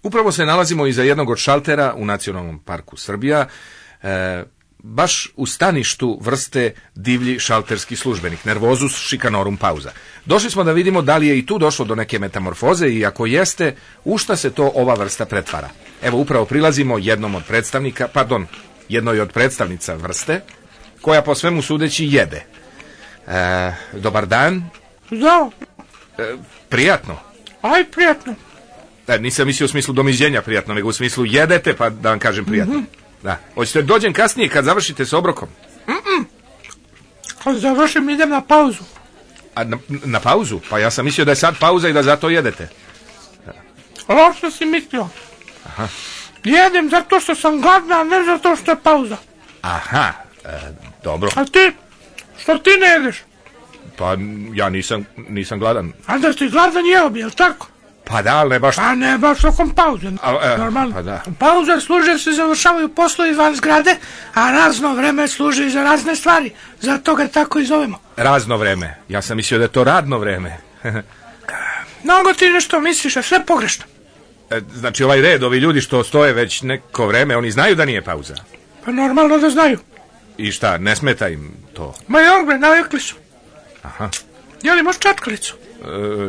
Upravo se nalazimo iza jednog od šaltera u Nacionalnom parku Srbija, baš u staništu vrste divlji šalterski službenik, nervozus chicanorum pauza. Došli smo da vidimo da li je i tu došlo do neke metamorfoze i ako jeste, u šta se to ova vrsta pretvara. Evo, upravo prilazimo jednoj od predstavnica vrste, koja po svemu sudeći jede. Dobar dan. Da. Prijatno. Aj, prijatno. Nisam mislio u smislu domiđenja prijatno, nego u smislu jedete, pa da vam kažem prijatno. Da. Hoćete dođem kasnije kad završite s obrokom? Kad završim idem na pauzu. A na pauzu? Pa ja sam mislio da je sad pauza i da zato jedete. Loše si mislio. Aha. Jedem zato što sam gladna, a ne zato što je pauza. Aha, dobro. A ti? Što ti ne jedeš? Pa ja nisam gladan. A da si gladan jeo bi, jel tako? Pa da, ali ne baš... Pa ne baš tokom pauze. Normalno. Pa da. Pauze služe se završavaju poslovi van zgrade, a razno vreme služi za razne stvari. Zato ga tako i zovemo. Razno vreme. Ja sam mislio da je to radno vreme. Mnogo ti nešto misliš, a sve pogrešno. Znači ovaj red, ovi ljudi što stoje već neko vreme, oni znaju da nije pauza? Pa normalno da znaju. I šta, ne smeta im to? Ma jogbe, navikli su. Aha. Jeli možeš čačkalicu?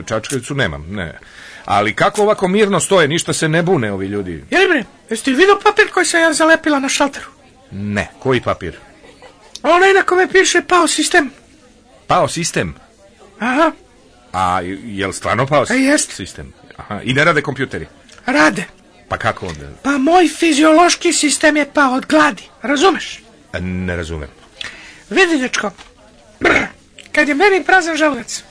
Čačkalicu nemam, ne. Ali kako ovako mirno stoje, ništa se ne bune ovi ljudi? Jeli bre, jesi ti vidio papir koji sam ja zalepila na šalteru? Ne, koji papir? Onaj na kome piše pao sistem. Pao sistem? Aha. A je li stvarno pao sistem? Aha. I ne rade kompjuteri? Rade. Pa kako onda? Pa moj fiziološki sistem je pao od gladi, razumeš? Ne razumem. Vidi, dečko, kad je meni prazan želudac,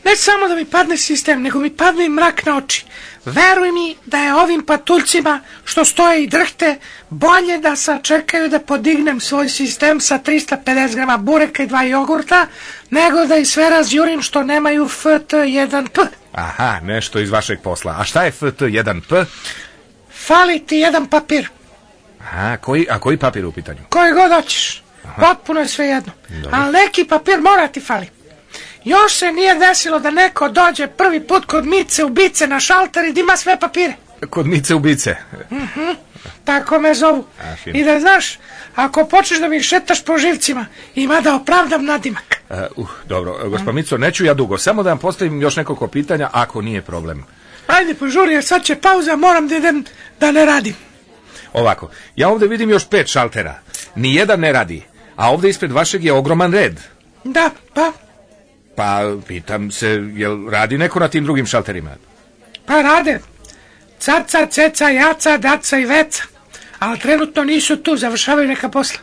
ne samo da mi padne sistem, nego mi padne i mrak na oči. Veruj mi da je ovim patuljcima što stoje i drhte bolje da sačekaju da podignem svoj sistem sa 350 grama bureka i 2 jogurta, nego da ih sve razjurim što nemaju FT1P. Aha, nešto iz vašeg posla. A šta je FT1P? Fali ti jedan papir. Aha, koji papir u pitanju? Koji god hoćeš. Potpuno je sve jedno. Ali neki papir mora ti fali. Još se nije desilo da neko dođe prvi put kod Mice Ubice na šalter i da ima sve papire. Kod Mice Ubice? Tako me zovu. I da znaš, ako počneš da mi šetaš po živcima, ima da opravdam nadimak. Dobro, gospod Mico, neću ja dugo. Samo da vam postavim još nekoliko pitanja, ako nije problem. Ajde, požuri, jer sad će pauza, moram da idem da ne radim. Ovako, ja ovdje vidim još 5 šaltera. Nijedan ne radi, a ovdje ispred vašeg je ogroman red. Da, pa? Pa, pitam se, jel radi neko na tim drugim šalterima? Pa rade. Caca, ceca, jaca, daca i veca. Ali trenutno nisu tu, završavaju neka posla.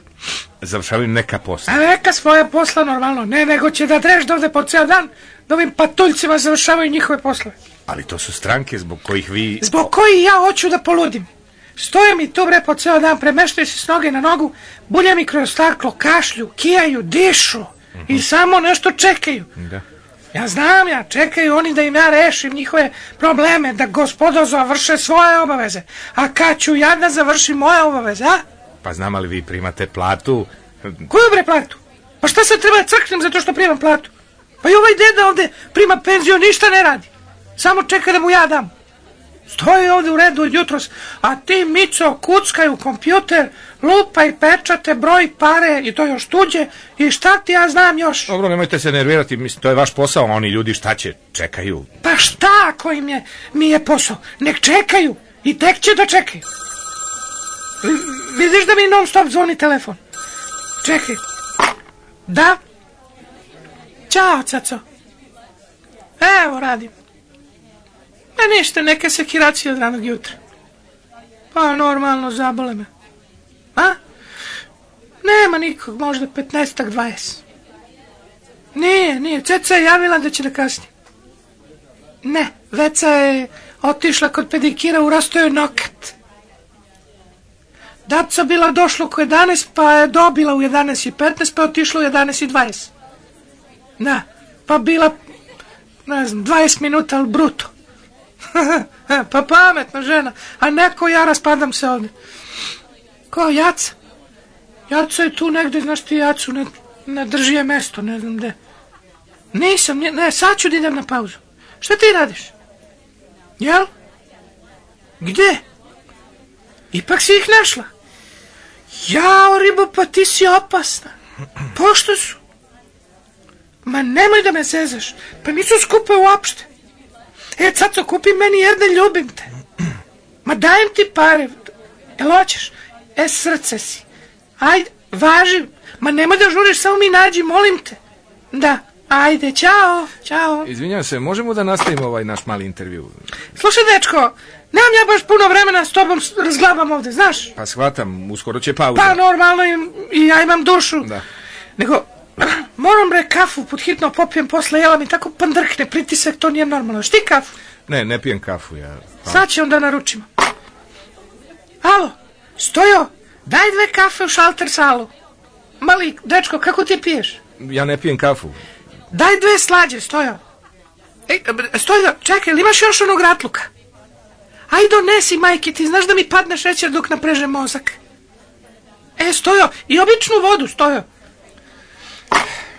Završavaju neka posla? A neka svoja posla normalno. Ne, nego će da dreš dovde po ceo dan, da ovim patuljcima završavaju njihove poslove. Ali to su stranke zbog kojih vi... Zbog kojih ja hoću da poludim. Stoje mi tu bre po ceo dan, premeštaju se s noge na nogu, bulja mi kroz staklo, kašlju, kijaju, dišu i samo nešto čekaju. Da. Ja znam, čekaju oni da im ja rešim njihove probleme, da gospodo završe svoje obaveze. A kad ću ja da završim moje obaveze, a? Pa znam, ali vi primate platu. Koju bre platu? Pa šta sad treba da crknem zato što primam platu? Pa i ovaj deda ovde prima penziju, ništa ne radi. Samo čeka da mu ja dam. Stoji ovdje u redu od jutros, a ti, Mico, kuckaj u kompjuter, lupaj pečate, broj pare i to još tuđe i šta ti ja znam još. Dobro, nemojte se nervirati, mislim, to je vaš posao, oni ljudi šta će, čekaju. Pa šta ako mi je posao? Nek čekaju i tek će da čekaju. Vidiš da mi non stop zvoni telefon? Čekaj. Da? Ćao, caco. Evo, radim. Ništa, neke sekiracije od ranog jutra. Pa normalno, zabole me. A? Nema nikog, možda 15-20. Nije, Ceca je javila da će da kasni. Ne, Veca je otišla kod pedikira, urasto je nokat. Daca bila došla oko 11, pa je dobila u 11:15, pa je otišla u 11:20. Da, pa bila, ne znam, 20 minuta, ali bruto. Pa pametna žena, a neko ja raspadam se ovdje. Ko, Jaca? Jaca je tu negdje, znaš ti Jacu, ne drži je mesto, ne znam gde. Nisam, ne, sad ću da idem na pauzu. Šta ti radiš? Jel? Gde? Ipak si ih našla. Jao, ribo, pa ti si opasna. Pošto su? Ma nemoj da me zezaš. Pa nisu skupe uopšte. Caco, kupi meni jer ne ljubim te. Ma dajem ti pare. Jel hoćeš? Srce si. Ajde, važi. Ma nemoj da žuriš, samo mi nađi, molim te. Da, ajde, čao, čao. Izvinjam se, možemo da nastavimo ovaj naš mali intervju? Slušaj, dečko, nemam ja baš puno vremena s tobom razglabam ovde, znaš? Pa shvatam, uskoro će pauza. Pa normalno i ja imam dušu. Da. Nego, moram bre kafu pod hitno popijem posle, jela mi tako pandrkne, pritisak, to nije normalno. Šti kafu? Ne pijem kafu ja. Pa. Sad će onda naručimo. Alo, Stojo, daj 2 kafe u šalter salu. Mali, dečko, kako ti piješ? Ja ne pijem kafu. Daj 2 slađe, Stojo. Stojo, čekaj, ili imaš još onog ratluka? Aj donesi, majke, ti znaš da mi padne šećer dok naprežem mozak. Stojo, i običnu vodu, Stojo.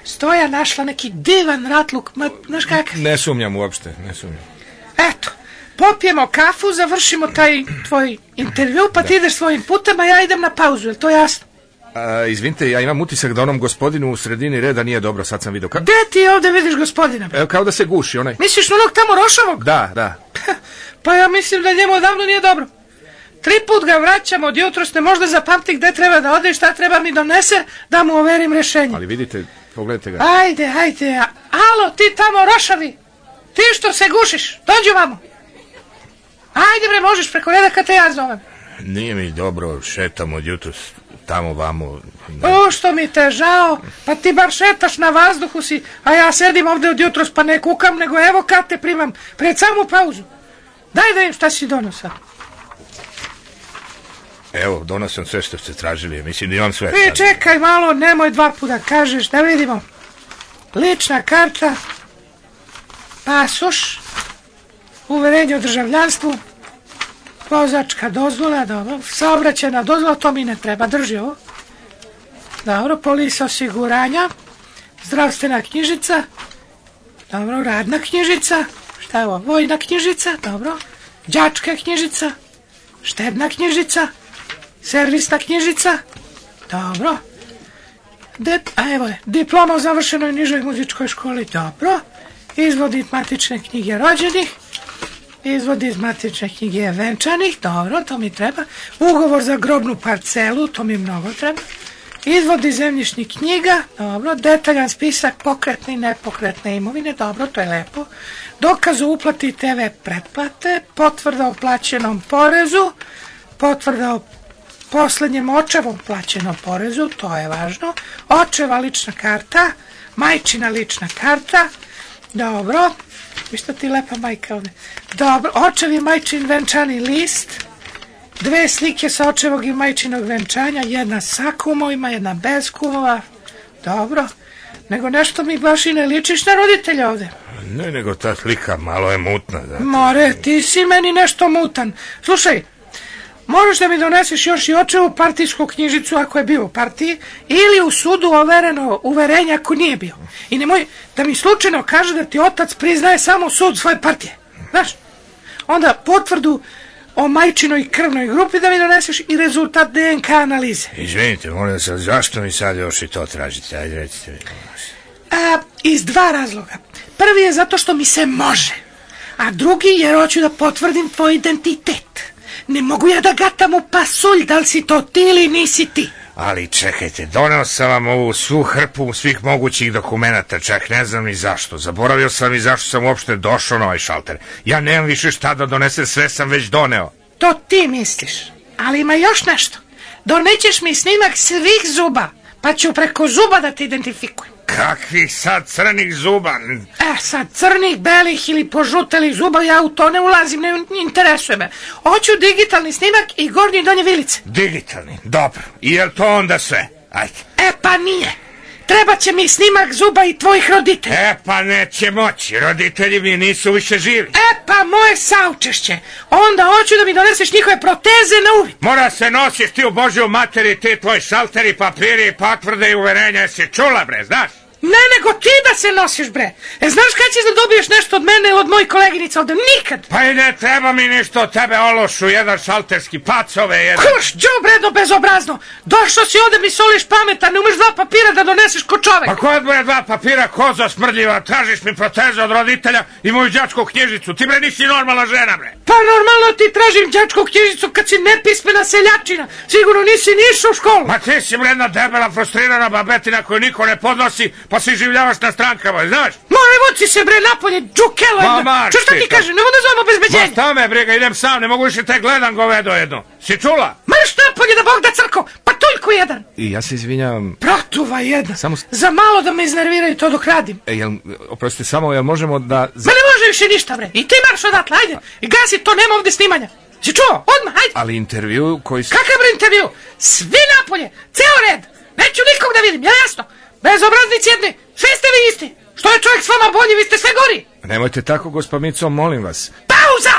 Stoja našla neki divan ratluk, ma, znaš kakav? Ne sumnjam uopšte, ne sumnjam. Eto, popijemo kafu, završimo taj tvoj intervju, pa ti ideš svojim putem, a ja idem na pauzu, je to jasno? Izvinite, ja imam utisak da onom gospodinu u sredini reda nije dobro, sad sam vidio. Gde ti ovde vidiš gospodina? Evo, kao da se guši, onaj. Misliš na onog tamo rošavog? Da. Pa ja mislim da njemu odavno nije dobro. 3 put ga vraćam od jutros, ne možda zapamti gde treba da ode i šta treba mi donese, da mu overim rešenje. Ali vidite, pogledajte ga. Ajde. Alo, ti tamo rošavi. Ti što se gušiš, dođi vamo. Ajde bre, možeš preko reda kad te ja zovem. Nije mi dobro, šetam od jutros tamo vamo. Što mi te žao, pa ti bar šetaš na vazduhu si, a ja sedim ovde od jutros pa ne kukam, nego evo kad te primam, pred samu pauzu. Daj da im šta si donosa. Evo, donosim sve što ste tražili, mislim da imam sve. Čekaj malo, nemoj 2 puta kažeš, da vidimo. Lična karta, pasoš, uverenje o državljanstvu, vozačka dozvola, dobro, saobraćajna dozvola, to mi ne treba, drži ovo. Dobro, polisa osiguranja, zdravstvena knjižica, dobro, radna knjižica, šta je ovo, vojna knjižica, dobro, đačka knjižica, štedna knjižica, servisna knjižica, dobro, evo je, diploma o završenoj nižoj muzičkoj školi, dobro, izvod iz matične knjige rođenih, izvod iz matične knjige venčanih, dobro, to mi treba, ugovor za grobnu parcelu, to mi mnogo treba, izvod iz zemljišnih knjiga, dobro, detaljan spisak pokretne i nepokretne imovine, dobro, to je lepo, dokaz o uplati TV pretplate, potvrda o plaćenom porezu, potvrda o poslednjem očevom plaćenom porezu, to je važno, očeva lična karta, majčina lična karta, dobro, viš ti lepa majka ovde, dobro, očev i majčin venčani list, 2 slike sa očevog i majčinog venčanja, jedna sa kumovima, jedna bez kumova, dobro, nego nešto mi baš i ne ličiš na roditelja ovde. Ne, nego ta slika malo je mutna. Da. More, ti si meni nešto mutan. Slušaj, možeš da mi doneseš još i očevu partijsku knjižicu ako je bio u partiji ili u sudu overeno uverenje ako nije bio. I nemoj da mi slučajno kaže da ti otac priznaje samo sud svoje partije. Znaš? Onda potvrdu o majčinoj krvnoj grupi da mi doneseš i rezultat DNK analize. Izvinite, molim se, zašto mi sad još i to tražite? Ajde, recite mi. Iz 2 razloga. Prvi je zato što mi se može, a drugi jer hoću da potvrdim tvoj identitet. Ne mogu ja da gatam u pasulj da li si to ti ili nisi ti. Ali čekajte, doneo sam vam ovu svu hrpu svih mogućih dokumenata, čak ne znam ni zašto. Zaboravio sam i zašto sam uopšte došao na ovaj šalter. Ja nemam više šta da donesem, sve sam već doneo. To ti misliš, ali ima još nešto. Donećeš mi snimak svih zuba, pa ću preko zuba da te identifikujem. Kakvih sad crnih zuba? Sad crnih, belih ili požutelih zuba, ja u to ne ulazim, ne interesuje me. Hoću digitalni snimak i gornje i donje vilice. Digitalni, dobro. I je li to onda sve? Ajde. Pa nije. Treba će mi snimak zuba i tvojih roditelja. Pa neće moći, roditelji mi nisu više živi. Pa moje saučešće. Onda hoću da mi doneseš njihove proteze na uvid. Mora se nosiš ti u Božju materi, ti tvoj šalteri, papiri, potvrde i uverenja. Jesi čula bre, znaš? Ne, nego ti da se nosiš, bre. Znaš kad ćeš da dobiješ nešto od mene, od mojih koleginica ovde? Nikad. Pa i ne treba mi ništa od tebe, ološu, jedan šalterski, pacove, jedan. Kuš, đubredo bezobrazno. Došao si ovde mi soliš pametan, ne umeš 2 papira da doneseš ko čovek. Pa kod moja 2 papira, koza smrdljiva, tražiš mi proteze od roditelja i moju đačku knjižicu. Ti bre nisi normalna žena, bre. Pa normalno ti tražim đačku knjižicu kad si nepismena seljačina. Sigurno nisi ni išao u školu. Ma ti si bre jedna debela, frustrirana babetina koju niko ne podnosi, pa se življavaš na strankama, znaš? More, vuci se bre napolje, džukelo jedna. Čo ti kažem, ne mogu da zovem obezbeđenje. Ma šta me briga, idem sam, ne mogu više te gledam govedo jedno. Si čula? Marš napolje da Bog da crko, patuljku jedan. I ja se izvinjavam. Protuva jedna. Samo... Za malo da me iznerviraju to dok radim. Oprostite, samo jel možemo da... Ma ne može više ništa, bre. I ti marš odatle, ajde. I gasi to, nema ovde snimanja. Si čuo? Odmah, ajde. Ali intervju koji... Kakav bre intervju? Svi napolje, ceo red. Neću nikog da vidim, je jasno? Bezobraznici jedni, sve ste vi isti. Što je čovjek s vama bolji, vi ste sve gori. Nemojte tako, gospa Mico, molim vas. Pauza!